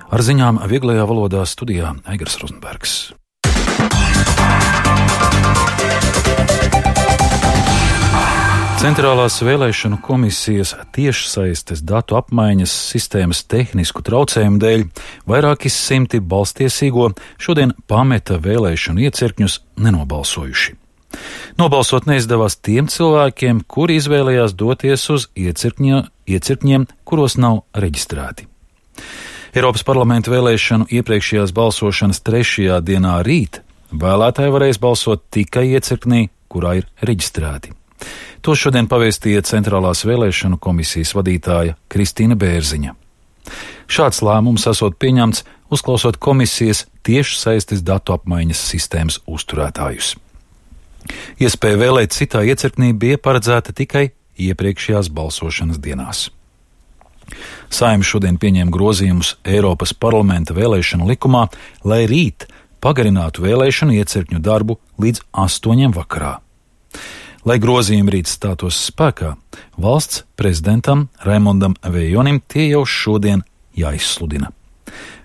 Ar ziņām vieglajā valodā studijā Aigars Rozenbergs. Centrālās vēlēšanu komisijas tiešsaistes datu apmaiņas sistēmas tehnisku traucējumu dēļ vairāki simti balstiesīgo šodien pameta vēlēšanu iecirkņus nenobalsojuši. Nobalsot neizdevās tiem cilvēkiem, kuri izvēlējās doties uz iecirkņiem, kuros nav reģistrēti. Eiropas parlamenta vēlēšanu iepriekšējās balsošanas 3. dienā rīt vēlētāji varēs balsot tikai iecirknī, kurā ir reģistrēti. To šodien pavēstīja Centrālās vēlēšanu komisijas vadītāja Kristīna Bērziņa. Šāds lēmums esot pieņemts, uzklausot komisijas tiešsaistes datu apmaiņas sistēmas uzturētājus. Iespēja vēlēt citā iecirknī bija paredzēta tikai iepriekšējās balsošanas dienās. Saeima šodien pieņēma grozījumus Eiropas parlamenta vēlēšanu likumā, lai rīt pagarinātu vēlēšanu iecirkņu darbu līdz 8 vakarā. Lai grozījumi rīt stātos spēkā, valsts prezidentam Raimondam Vejonim tie jau šodien jāizsludina.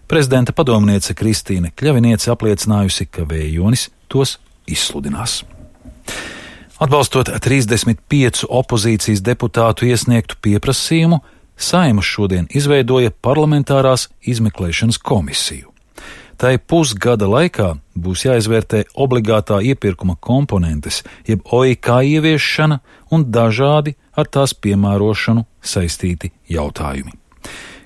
Prezidenta padomniece Kristīne Kļaviniece apliecinājusi, ka Vejonis tos izsludinās. Atbalstot 35 opozīcijas deputātu iesniegtu pieprasījumu, Saeima šodien izveidoja parlamentārās izmeklēšanas komisiju. Tai pusgada laikā būs jāizvērtē obligātā iepirkuma komponentes, jeb OIK ieviešana un dažādi ar tās piemērošanu saistīti jautājumi.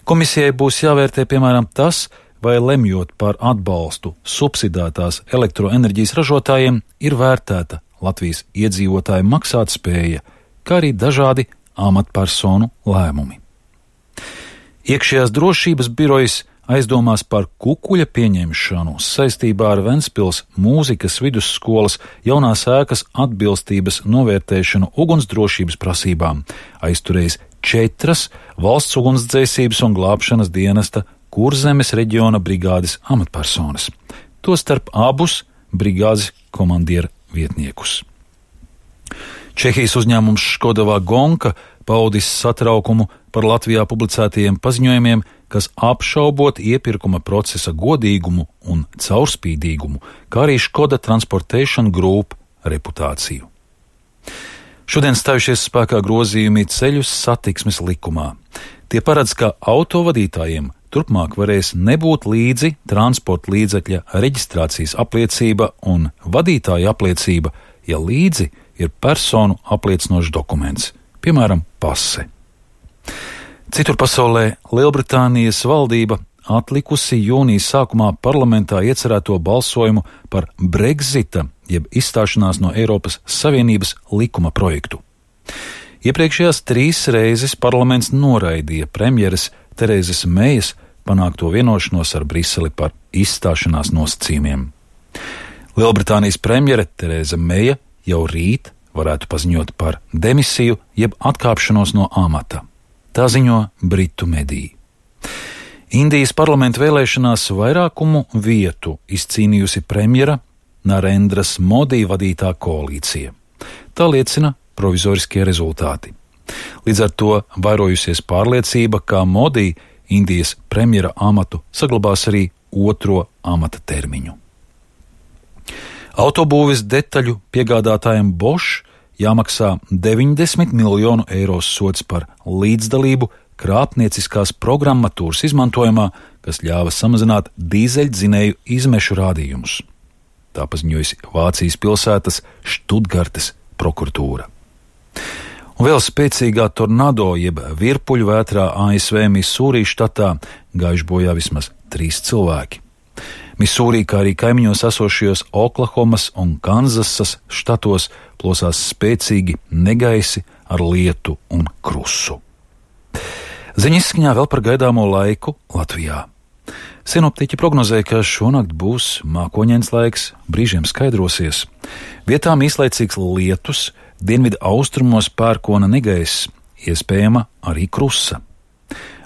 Komisijai būs jāvērtē piemēram tas, vai lemjot par atbalstu subsidētās elektroenerģijas ražotājiem ir vērtēta Latvijas iedzīvotāju maksātspēja, kā arī dažādi amatpersonu lēmumi. Iekšējās drošības birojas aizdomās par kukuļa pieņemšanu saistībā ar Ventspils mūzikas vidusskolas jaunās ēkas atbilstības novērtēšanu ugunsdrošības prasībām aizturējis 4 valsts ugunsdzēsības un glābšanas dienesta Kurzemes reģiona brigādes amatpersonas, tostarp abus brigādes komandiera vietniekus. Čehijas uzņēmums Škoda Vagonka paudis satraukumu par Latvijā publicētajiem paziņojumiem, kas apšaubot iepirkuma procesa godīgumu un caurspīdīgumu, kā arī Škoda Transportation Group reputāciju. Šodien stājušies spēkā grozījumi ceļu satiksmes likumā. Tie paredz, ka autovadītājiem turpmāk varēs nebūt līdzi transporta līdzekļa reģistrācijas apliecība un vadītāja apliecība, ja līdzi ir personu apliecinošs dokuments, piemēram, pase. Citur pasaulē Lielbritānijas valdība atlikusi jūnijas sākumā parlamentā iecerēto balsojumu par Brexita, jeb izstāšanās no Eiropas Savienības likuma projektu. Iepriekšējās 3 reizes parlaments noraidīja premjeres Terezes Mejas panākto vienošanos ar Briseli par izstāšanās nosacījumiem. Lielbritānijas premjere Tereza Meja jau rīt varētu paziņot par demisiju jeb atkāpšanos no amata. Tā ziņo britu mediji. Indijas parlamenta vēlēšanās vairākumu vietu izcīnījusi premjera Narendras Modi vadītā koalīcija. Tā liecina provizoriskie rezultāti. Līdz ar to vairojusies pārliecība, ka Modi Indijas premjera amatu saglabās arī 2. amata termiņu. Autobūves detaļu piegādātājiem Bosch jāmaksā 90 miljonu eiro sods par līdzdalību krāpnieciskās programmatūras izmantojumā, kas ļāva samazināt dīzeļdzinēju izmešu rādījumus. Tā paziņojusi Vācijas pilsētas Štutgartes prokuratūra. Un vēl spēcīgā tornado jeb virpuļu vētrā ASV Misūrī štatā gājuši bojā vismaz 3 cilvēki. Misūrī, kā arī kaimiņos esošajos Oklahomas un Kanzasas štatos plosās spēcīgi negaisi ar lietu un krusu. Ziņa izskaņā vēl par gaidāmo laiku Latvijā. Sinoptiķi prognozē, ka šonakt būs mākoņains laiks, brīžiem skaidrosies. Vietām īslaicīgs lietus, dienvidu austrumos pērkona negaiss, iespējama arī krusa.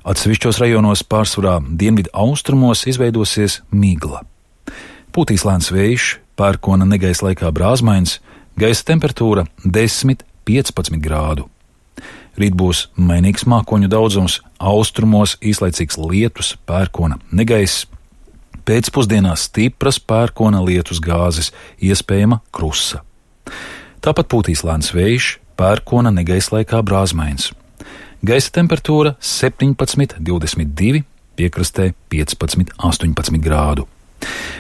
Atsevišķos rajonos pārsvarā dienvidu austrumos izveidosies migla. Pūtīs lēns vējš, pērkona negaisa laikā brāzmains, gaisa temperatūra 10–15 grādu. Rīt būs mainīgs mākoņu daudzums, austrumos īslaicīgs lietus, pērkona negaiss. Pēcpusdienā stipras pērkona lietus gāzes, iespējama krusa. Tāpat pūtīs lēns vējš, pērkona negaiss laikā brāzmains. Gaisa temperatūra 17–22, piekrastē 15–18 grādu.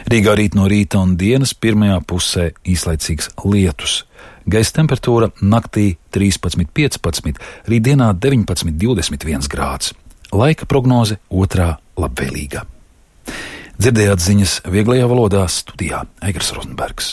Rīgā rīt no rīta un dienas pirmajā pusē īslaicīgs lietus. Gaisa temperatūra naktī 13–15, rītdienā 19–21 grāds. Laika prognoze otrā labvēlīga. Dzirdējāt ziņas vieglajā valodā, studijā Eigars Rozenbergs.